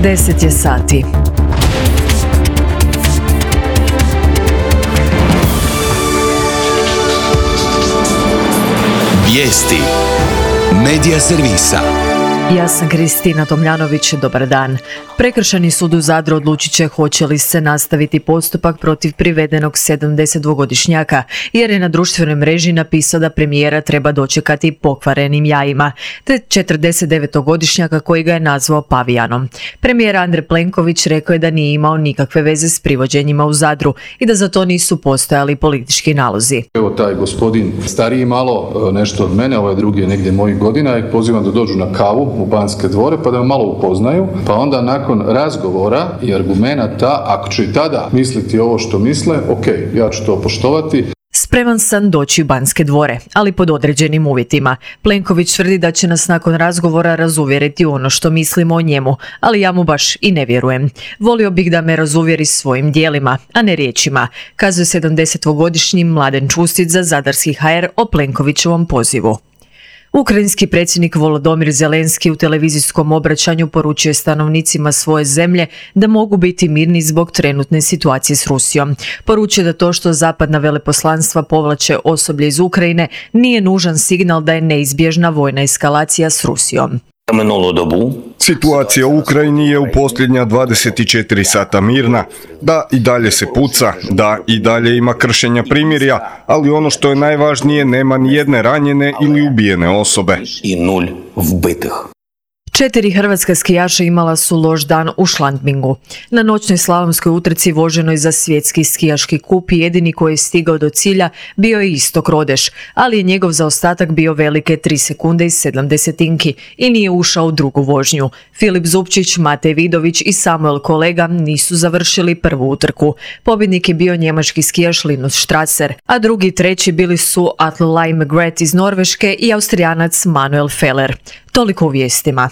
10 je sati. Vijesti Medija servisa. Ja sam Kristina Tomljanović, dobar dan. Prekršajni sud u Zadru odlučit će hoće li se nastaviti postupak protiv privedenog 72-godišnjaka, jer je na društvenoj mreži napisao da premijera treba dočekati pokvarenim jajima, te 49-godišnjaka koji ga je nazvao pavijanom. Premijer Andrej Plenković rekao je da nije imao nikakve veze s privođenjima u Zadru i da za to nisu postojali politički nalozi. Evo taj gospodin stariji malo, nešto od mene, ovaj drugi je negdje mojih godina, i pozivam da dođu na kavu u Banske dvore pa da me malo upoznaju, pa onda nakon razgovora i argumenata, ako će i tada misliti ovo što misle, ok, ja ću to poštovati. Spreman sam doći u Banske dvore, ali pod određenim uvjetima. Plenković tvrdi da će nas nakon razgovora razuvjeriti u ono što mislimo o njemu, ali ja mu baš i ne vjerujem. Volio bih da me razuvjeri svojim dijelima, a ne riječima, kazuje 70-godišnji Mladen Čustić za Zadarski HR o Plenkovićevom pozivu. Ukrajinski predsjednik Volodymyr Zelenski u televizijskom obraćanju poručuje stanovnicima svoje zemlje da mogu biti mirni zbog trenutne situacije s Rusijom. Poručuje da to što zapadna veleposlanstva povlače osoblje iz Ukrajine nije nužan signal da je neizbježna vojna eskalacija s Rusijom. Situacija u Ukrajini je u posljednja 24 sata mirna, da i dalje se puca, da i dalje ima kršenja primirja, ali ono što je najvažnije, nema ni jedne ranjene ili ubijene osobe. 4 hrvatska skijaša imala su loš dan u Šlantmingu. Na noćnoj slalomskoj utrci voženoj za svjetski skijaški kup jedini koji je stigao do cilja bio je Istok Rodeš, ali je njegov zaostatak bio velike 3 sekunde i 7 desetinki i nije ušao u drugu vožnju. Filip Zupčić, Matej Vidović i Samuel Kolega nisu završili prvu utrku. Pobjednik je bio njemački skijaš Linus Strasser, a drugi i treći bili su Atle Lai Megret iz Norveške i Austrijanac Manuel Feller. Toliko u vijestima.